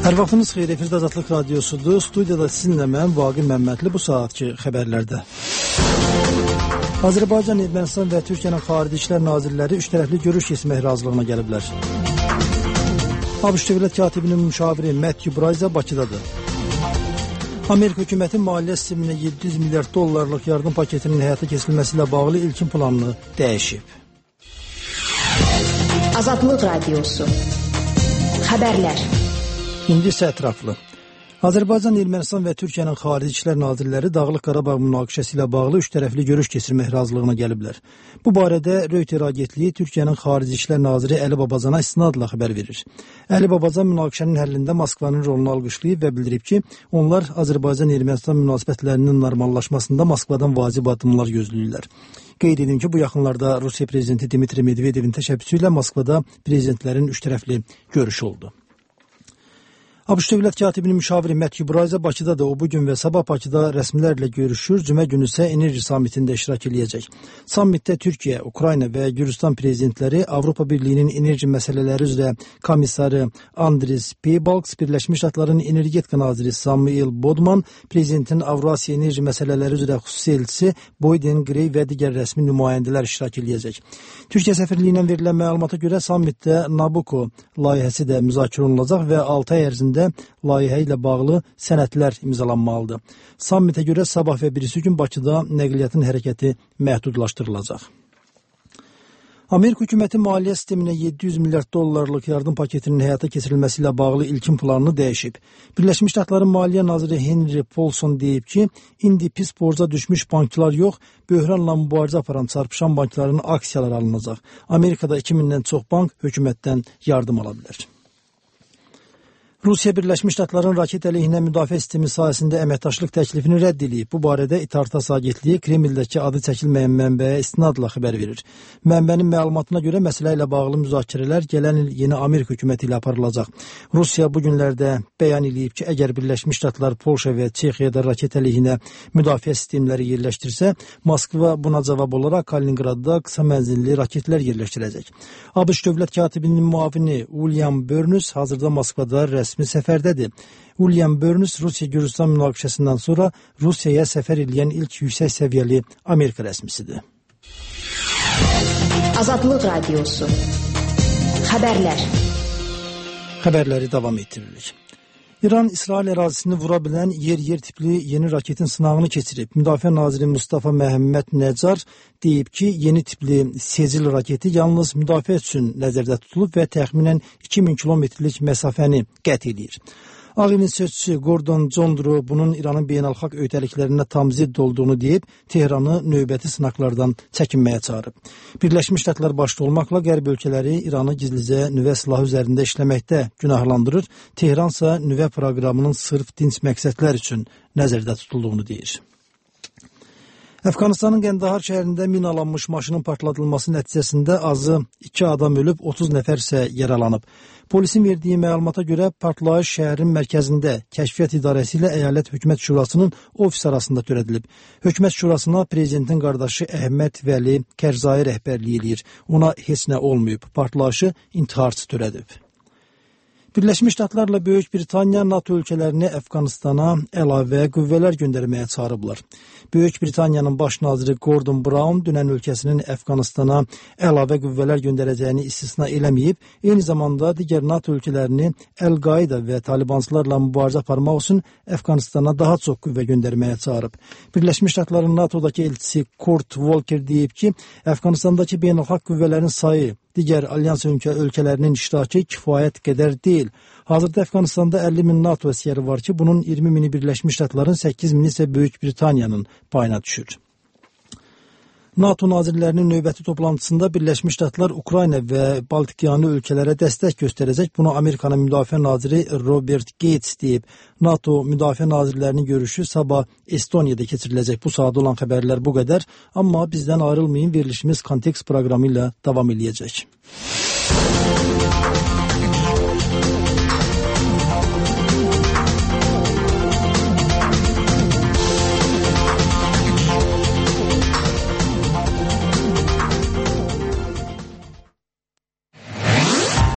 Hər vaxtınız xeyir, efirdə Azadlıq Radiosudur. Studiyada sizinlə mən, Vaqif Məmmədli, bu saatki xəbərlərdə. Azərbaycan, Ermənistan və Türkiyənin Xarici İşlər Nazirləri üç tərəfli görüş keçirmək razılığına gəliblər. ABŞ Dövlət Katibinin müşaviri Matthew Bryza Bakıdadır. Amerika hökuməti maliyyə sisteminə $700 milyard yardım paketinin həyata keçirilməsi ilə bağlı ilkin planını dəyişib. Azadlıq Radiosu. Xəbərlər. İndi isə ətraflı. Azərbaycan, Ermənistan və Türkiyənin Xarici İşlər Nazirləri Dağlıq Qarabağ münaqişəsi ilə bağlı üç tərəfli görüş keçirmək razılığına gəliblər. Bu barədə Reuters agentliyi Türkiyənin Xarici İşlər Naziri Əli Babazana istinadla xəbər verir. Əli Babazan münaqişənin həllində Moskvanın rolunu alqışlayıb və bildirib ki, onlar Azərbaycan-Ermənistan münasibətlərinin normallaşmasında Moskvadan vacib addımlar gözləyirlər. Qeyd edin ki, bu yaxınlarda Rusiya prezidenti Dmitri Medvedevin təşəbbüsü ilə Moskvada prezidentlərin üç tərəfli görüşü oldu. ABŞ Dövlət Katibinin müşaviri Matthew Bryza Bakıdadır. O bugün və sabah Bakıda rəsmilərlə görüşür. Cümə günü isə enerji sammitində iştirak edəcək. Sammitdə Türkiyə, Ukrayna və Gürcüstan prezidentləri, Avropa Birliyinin enerji məsələləri üzrə komissarı Andris Piebalgs, Birləşmiş Ştatların energetika naziri Samuel Bodman, prezidentin Avrasiya enerji məsələləri üzrə xüsusi elçisi Boyden Grey və digər rəsmi nümayəndələr iştirak edəcək. Türkiyə səfirliyindən verilən məlumata görə sammitdə Nabucco layihəsi də müzakirə olunacaq və 6 ay ərzində layihə ilə bağlı sənədlər imzalanmalıdır. Sammitə görə sabah və birisi gün Bakıda nəqliyyatın hərəkəti məhdudlaşdırılacaq. Amerika hökuməti maliyyə sisteminə $700 milyard yardım paketinin həyata keçirilməsi ilə bağlı ilkin planını dəyişib. Birləşmiş Ştatların Maliyyə naziri Henry Paulson deyib ki, indi pis borca düşmüş banklar yox, böhranla mübarizə aparan çarpışan bankların aksiyaları alınacaq. Amerikada 2000-dən çox bank hökumətdən yardım ala bilər. Rusiya Birləşmiş Ştatların raket əleyhinə müdafiə sistemi sahəsində əməkdaşlıq təklifini rədd edib. Bu barədə İTARTAS agentliyi Kremldəki adı çəkilməyən mənbəyə istinadla xəbər verir. Mənbənin məlumatına görə məsələ ilə bağlı müzakirələr gələn il yeni Amerika hökuməti ilə aparılacaq. Rusiya bu günlərdə bəyan edib ki, əgər Birləşmiş Ştatlar Polşa və Çexiyada raket əleyhinə müdafiə sistemləri yerləşdirsə, Moskva buna cavab olaraq Kaliningradda qısa mənzilli raketlər yerləşdirəcək. ABŞ Dövlət Katibinin müavini William Burns hazırda Moskvada rəsmi səfərdədir. William Burns Rusiya-Gürcüstan münaqişəsindən sonra Rusiyaya səfər edən ilk yüksək səviyyəli Amerika rəsmisidir. Azadlıq Radiosu. Xəbərlər. Xəbərləri davam etdiririk. İran İsrail ərazisini vura bilən yer-yer tipli yeni raketin sınağını keçirib. Müdafiə naziri Mustafa Məhəmməd Nəcar deyib ki, yeni tipli Sezil raketi yalnız müdafiə üçün nəzərdə tutulub və təxminən 2000 kilometrlik məsafəni qət edir. Ağ Evin sözçüsü Gordon Condro bunun İranın beynəlxalq öhdəliklərinə tam zidd olduğunu deyib, Tehranı növbəti sınaqlardan çəkinməyə çağırıb. Birləşmiş Ştatlar başda olmaqla qərb ölkələri İranı gizlicə nüvə silahı üzərində işləməkdə günahlandırır, Tehran isə nüvə proqramının sırf dinc məqsədlər üçün nəzərdə tutulduğunu deyir. Əfqanistanın Qəndahar şəhərində minalanmış maşının partladılması nəticəsində azı 2 adam ölüb, 30 nəfər isə yaralanıb. Polisin verdiyi məlumata görə partlayış şəhərin mərkəzində Kəşfiyyat İdarəsi ilə Əyalət Hökumət Şurasının ofis arasında törədilib. Hökumət Şurasına prezidentin qardaşı Əhməd Vəli Kərzai rəhbərliyi edir. Ona heç nə olmayıb. Partlayışı intiharçı törədib. Birləşmiş Ştatlarla Böyük Britaniya NATO ölkələrini Əfqanistana əlavə qüvvələr göndərməyə çağırıblar. Böyük Britaniyanın baş naziri Gordon Brown dünən ölkəsinin Əfqanistana əlavə qüvvələr göndərəcəyini istisna eləməyib, eyni zamanda digər NATO ölkələrini Əl-Qaida və Talibanslarla mübarizə aparmaq üçün Əfqanistana daha çox qüvvə göndərməyə çağırıb. Birləşmiş Ştatların NATO'dakı elçisi Kurt Volker deyib ki, Əfqanistandakı beynəlxalq qüvvələrin sayı digər alyans ölkələrinin iştirakı kifayət qədər deyil. Hazırda Əfqanistanda 50 min NATO əsgəri var ki, bunun 20 mini Birləşmiş Ştatların, 8 mini isə Böyük Britaniyanın payına düşür. NATO nazirlərinin növbəti toplantısında Birləşmiş Ştatlar Ukrayna və Baltikyanı ölkələrə dəstək göstərəcək. Bunu Amerikanın müdafiə naziri Robert Gates deyib. NATO müdafiə nazirlərinin görüşü sabah Estoniyada keçiriləcək. Bu saat olan xəbərlər bu qədər. Amma bizdən ayrılmayın, verilişimiz Kontekst proqramı ilə davam edəcək.